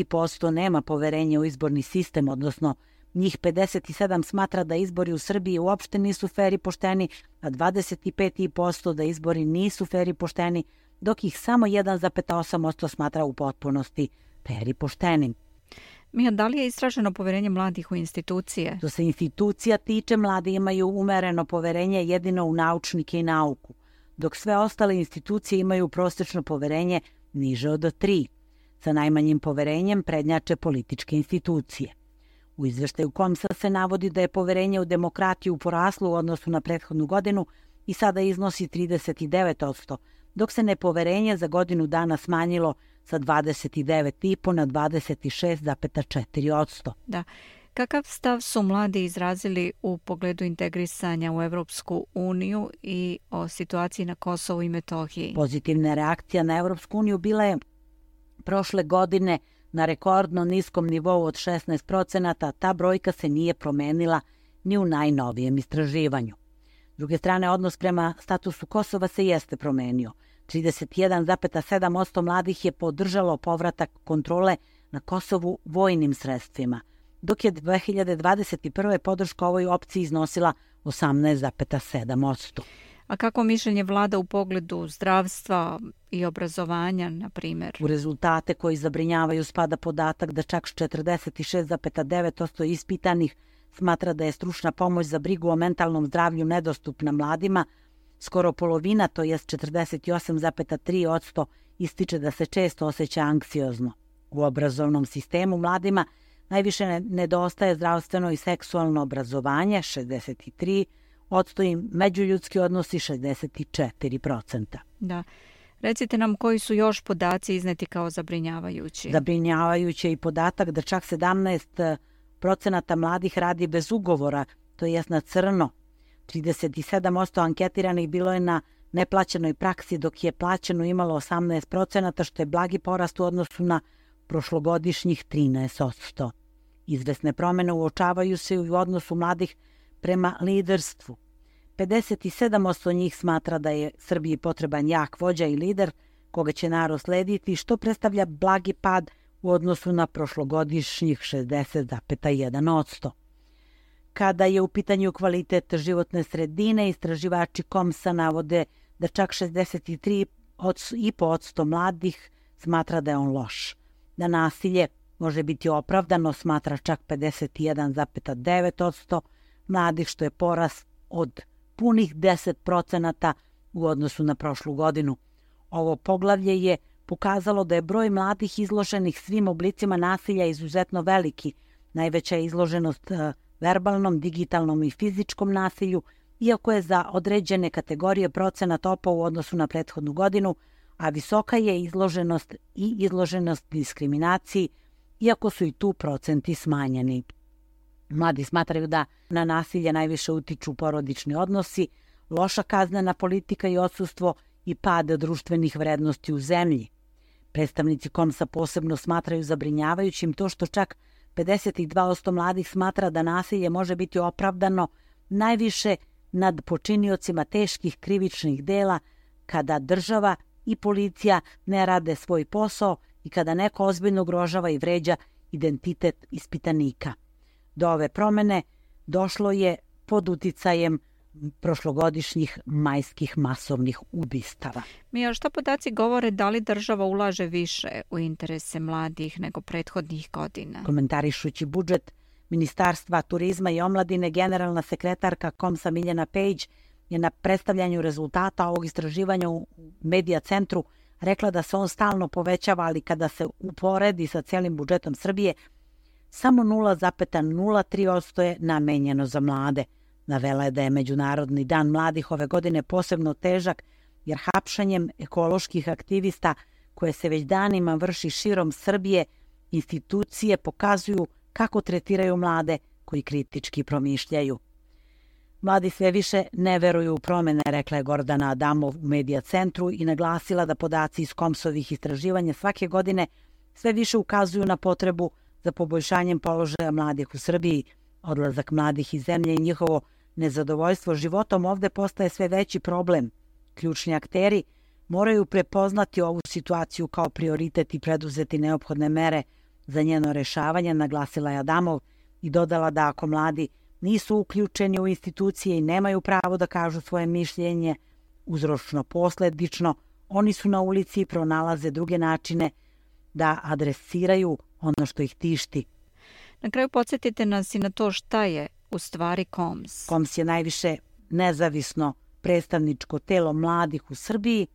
posto nema poverenja u izborni sistem, odnosno njih pedeset sedam smatra da izbori u Srbiji uopšte nisu fer i pošteni, a dvadeset pet posto da izbori nisu fer i pošteni, dok ih samo jedan zarez osam posto smatra u potpunosti fer i poštenim. Mija, da li je istraženo poverenje mladih u institucije? Što se institucija tiče, mladi imaju umereno poverenje jedino u naučnike i nauku, dok sve ostale institucije imaju prosečno poverenje niže od tri. Sa najmanjim poverenjem prednjače političke institucije. U izveštaju Komsa se navodi da je poverenje u demokratiju poraslo u odnosu na prethodnu godinu i sada iznosi trideset devet posto, dok se nepoverenje za godinu dana smanjilo sa dvadeset devet zarez pet na dvadeset šest zarez četiri posto. Da. Kakav stav su mladi izrazili u pogledu integrisanja u Evropsku uniju i o situaciji na Kosovu i Metohiji? Pozitivna reakcija na Evropsku uniju bila je prošle godine na rekordno niskom nivou od šesnaest procenata, ta brojka se nije promenila ni u najnovijem istraživanju. S druge strane, odnos prema statusu Kosova se jeste promenio. trideset jedan zarez sedam posto mladih je podržalo povratak kontrole na Kosovu vojnim sredstvima, dok je dve hiljade dvadeset prve podrška ovoj opciji iznosila osamnaest zarez sedam posto. A kako mišljenje vlada u pogledu zdravstva i obrazovanja, na primjer? U rezultate koji zabrinjavaju spada podatak da čak četrdeset šest zarez devet posto ispitanih smatra da je stručna pomoć za brigu o mentalnom zdravlju nedostupna mladima. Skoro polovina, to jest četrdeset osam zarez tri posto, ističe da se često osjeća anksiozno. U obrazovnom sistemu mladima najviše nedostaje zdravstveno i seksualno obrazovanje, šezdeset tri posto, i međuljudski odnosi šezdeset četiri procenta. Da. Recite nam koji su još podaci izneti kao zabrinjavajući. Zabrinjavajući je i podatak da čak sedamnaest procenata mladih radi bez ugovora, to jest na crno. trideset sedam posto anketiranih bilo je na neplaćenoj praksi, dok je plaćeno imalo osamnaest procenata, što je blagi porast u odnosu na prošlogodišnjih trinaest posto. Izvesne promene uočavaju se u odnosu mladih prema liderstvu. pedeset sedam posto njih smatra da je Srbiji potreban jak vođa i lider koga će narod slediti, što predstavlja blagi pad u odnosu na prošlogodišnjih šezdeset zarez jedan posto. Kada je u pitanju kvalitet životne sredine, istraživači Komsa navode da čak šezdeset tri zarez pet posto mladih smatra da je on loš. Da nasilje može biti opravdano smatra čak pedeset jedan zarez devet posto mladih, što je porast od punih deset procenata u odnosu na prošlu godinu. Ovo poglavlje je pokazalo da je broj mladih izloženih svim oblicima nasilja izuzetno veliki. Najveća je izloženost verbalnom, digitalnom i fizičkom nasilju, iako je za određene kategorije procenat opao u odnosu na prethodnu godinu, a visoka je izloženost i izloženost diskriminaciji, iako su i tu procenti smanjeni. Mladi smatraju da na nasilje najviše utiču porodični odnosi, loša kaznena politika i odsustvo i pad društvenih vrednosti u zemlji. Predstavnici Komsa posebno smatraju zabrinjavajućim to što čak pedeset dva posto mladih smatra da nasilje može biti opravdano najviše nad počiniocima teških krivičnih dela kada država i policija ne rade svoj posao i kada neko ozbiljno ugrožava i vređa identitet ispitanika. Do ove promene došlo je pod uticajem prošlogodišnjih majskih masovnih ubistava. Mija, šta podaci govore da li država ulaže više u interese mladih nego prethodnih godina? Komentarišući budžet Ministarstva turizma i omladine, generalna sekretarka Komsa Miljana Pejić je na predstavljanju rezultata ovog istraživanja u Medija centru rekla da se on stalno povećava, ali kada se uporedi sa celim budžetom Srbije, samo nula zarez nula tri posto je namenjeno za mlade. Navela je da je Međunarodni dan mladih ove godine posebno težak, jer hapšanjem ekoloških aktivista koje se već danima vrši širom Srbije, institucije pokazuju kako tretiraju mlade koji kritički promišljaju. Mladi sve više ne veruju u promene, rekla je Gordana Adamov u Medija centru i naglasila da podaci iz Komsovih istraživanja svake godine sve više ukazuju na potrebu za poboljšanjem položaja mladih u Srbiji. Odlazak mladih iz zemlje i njihovo nezadovoljstvo životom ovde postaje sve veći problem. Ključni akteri moraju prepoznati ovu situaciju kao prioritet i preduzeti neophodne mere za njeno rešavanje, naglasila je Adamov i dodala da ako mladi nisu uključeni u institucije i nemaju pravo da kažu svoje mišljenje, uzročno posledično, oni su na ulici i pronalaze druge načine da adresiraju ono što ih tišti. Na kraju podsjetite nas i na to šta je u stvari Koms. Koms je najviše nezavisno predstavničko telo mladih u Srbiji,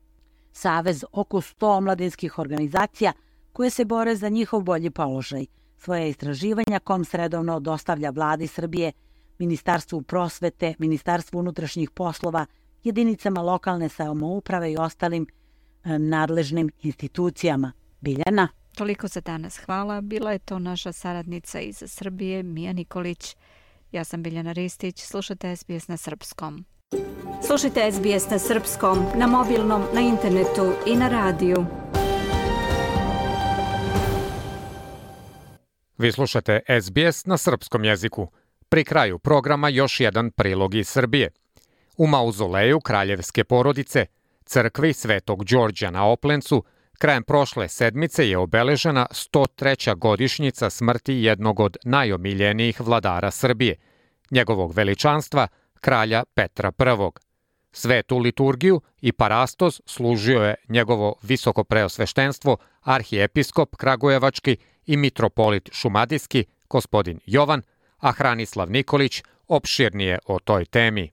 savez oko sto omladinskih organizacija koje se bore za njihov bolji položaj. Svoje istraživanja Koms redovno dostavlja vladi Srbije, Ministarstvu prosvete, Ministarstvu unutrašnjih poslova, jedinicama lokalne samouprave i ostalim e, nadležnim institucijama. Biljana? Toliko za danas. Hvala. Bila je to naša saradnica iz Srbije, Mija Nikolić. Ja sam Biljana Ristić. Slušajte S B S na srpskom. Slušajte S B S na srpskom, na mobilnom, na internetu i na radiju. Vi slušate S B S na srpskom jeziku. Pri kraju programa još jedan prilog iz Srbije. U mauzoleju kraljevske porodice, crkvi Svetog Đorđa na Oplencu, krajem prošle sedmice je obeležena sto treća godišnjica smrti jednog od najomiljenijih vladara Srbije, njegovog veličanstva, kralja Petra Prvog. Svetu liturgiju i parastos služio je njegovo visoko preosveštenstvo, arhijepiskop kragujevački i mitropolit šumadijski, gospodin Jovan, a Hranislav Nikolić opširnije o toj temi.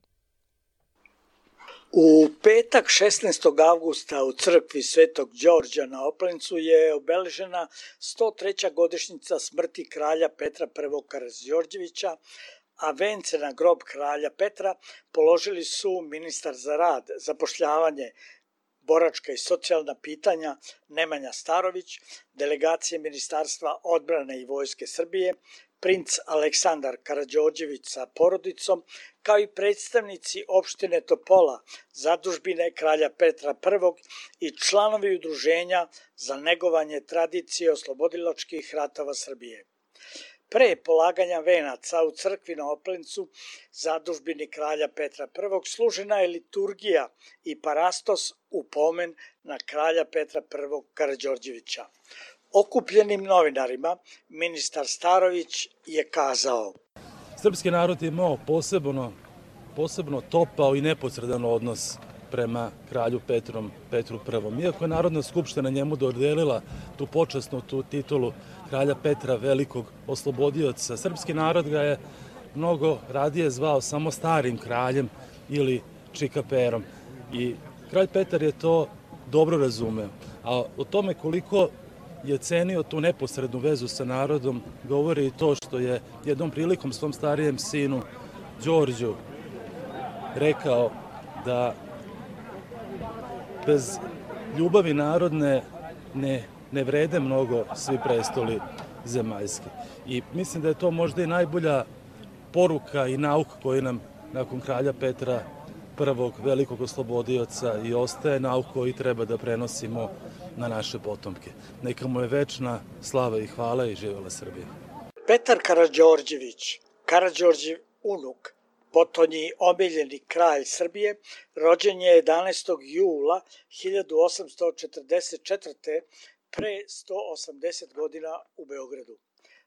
U petak šesnaestog avgusta u crkvi Svetog Đorđa na Oplencu je obeležena sto treća godišnjica smrti kralja Petra Prvog Karađorđevića, a vence na grob kralja Petra položili su ministar za rad, zapošljavanje, boračka i socijalna pitanja Nemanja Starović, delegacije Ministarstva odbrane i Vojske Srbije, princ Aleksandar Karađorđević sa porodicom, kao i predstavnici opštine Topola, zadužbine kralja Petra Prvog i članovi udruženja za negovanje tradicije oslobodilačkih ratova Srbije. Pre polaganja venaca u crkvi na Oplencu, zadužbini kralja Petra Prvog, služena je liturgija i parastos u pomen na kralja Petra Prvog Karađorđevića. Okupljenim novinarima ministar Starović je kazao: Srpski narod je imao posebno, posebno topao i neposredan odnos prema kralju Petrom, Petru Prvom. Iako je Narodna skupština njemu dodelila tu počasnu tu titulu kralja Petra Velikog oslobodioca, srpski narod ga je mnogo radije zvao samo starim kraljem ili čikaperom. I kralj Petar je to dobro razumeo. A o tome koliko je cenio tu neposrednu vezu sa narodom govori i to što je jednom prilikom svom starijem sinu Đorđu rekao da bez ljubavi narodne ne, ne vrede mnogo svi prestoli zemaljski. I mislim da je to možda i najbolja poruka i nauka koju nam nakon kralja Petra prvog velikog oslobodioca i ostaje, nauka koju treba da prenosimo na naše potomke. Neka mu je večna slava i hvala i živjela Srbija. Petar Karađorđević, Karađorđev unuk, potonji omiljeni kralj Srbije, rođen je jedanaestog jula hiljadu osamsto četrdeset četvrte. pre sto osamdeset godina u Beogradu.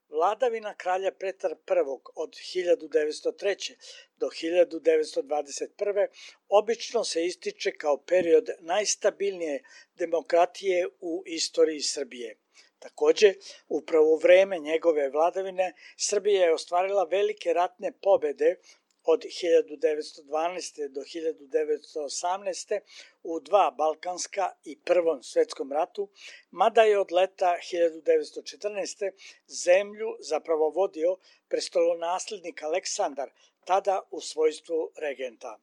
Vladavina kralja Petra prvog od hiljadu devetsto treće. do hiljadu devetsto dvadeset prve. obično se ističe kao period najstabilnije demokratije u istoriji Srbije. Takođe, upravo u vreme njegove vladavine Srbija je ostvarila velike ratne pobede od hiljadu devetsto dvanaeste. do hiljadu devetsto osamnaeste. u dva balkanska i Prvom svetskom ratu, mada je od leta hiljadu devetsto četrnaeste. zemlju zapravo vodio prestolonaslednik Aleksandar, tada u svojstvu regenta.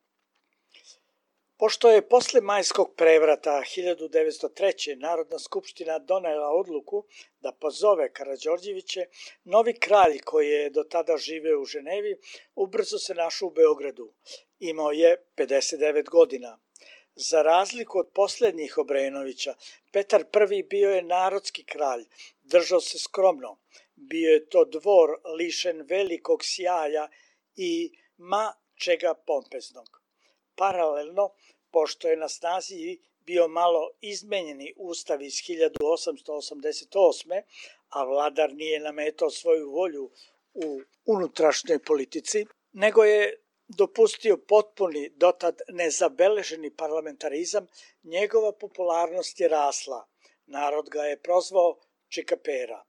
Pošto je posle majskog prevrata hiljadu devetsto treće. Narodna skupština donela odluku da pozove Karađorđeviće, novi kralj koji je do tada živeo u Ženevi, ubrzo se našao u Beogradu. Imao je pedeset devet godina. Za razliku od poslednjih Obrenovića, Petar prvi bio je narodski kralj, držao se skromno. Bio je to dvor lišen velikog sjaja i ma čega pompeznog. Paralelno, pošto je na snazi bio malo izmenjeni ustav iz hiljadu osamsto osamdeset osme. a vladar nije nametao svoju volju u unutrašnjoj politici, nego je dopustio potpuni, dotad nezabeleženi parlamentarizam, njegova popularnost je rasla. Narod ga je prozvao čikapera.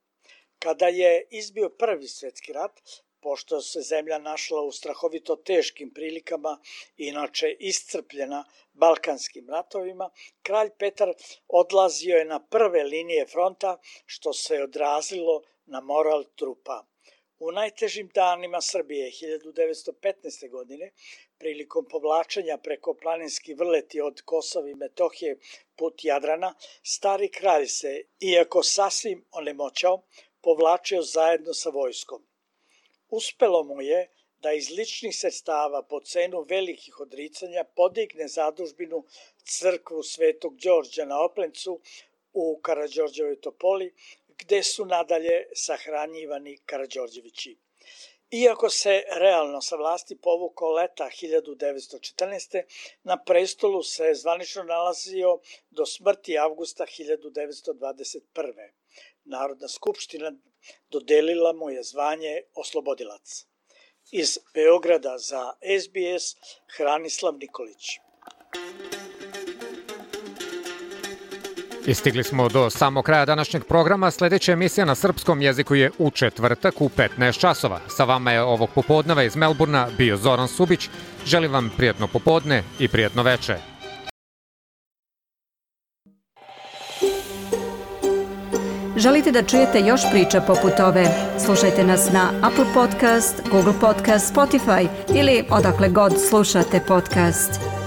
Kada je izbio prvi svetski rat, pošto se zemlja našla u strahovito teškim prilikama, inače iscrpljena balkanskim ratovima, kralj Petar odlazio je na prve linije fronta, što se odrazilo na moral trupa. U najtežim danima Srbije hiljadu devetsto petnaeste. godine, prilikom povlačenja preko planinski vrleti od Kosova i Metohije put Jadrana, stari kralj se, iako sasvim onemoćao, povlačio zajedno sa vojskom. Uspelo mu je da iz ličnih sredstava po cenu velikih odricanja podigne zadužbinu crkvu Svetog Đorđa na Oplencu u Karađorđevoj Topoli, gde su nadalje sahranjivani Karađorđevići. Iako se realno sa vlasti povukao leta hiljadu devetsto četrnaeste. na prestolu se zvanično nalazio do smrti avgusta hiljadu devetsto dvadeset prve. Narodna skupština dodelila mu je zvanje oslobodilac. Iz Beograda za S B S, Hranislav Nikolić. Istigli smo do samog kraja današnjeg programa. Sledeća emisija na srpskom jeziku je u četvrtak u petnaest časova. Sa vama je ovog popodneva iz Melburna bio Zoran Subić. Želim vam prijatno popodne i prijatno veče. Želite da čujete još priča poput ove? Slušajte nas na Apple Podcast, Google Podcast, Spotify ili odakle god slušate podcast.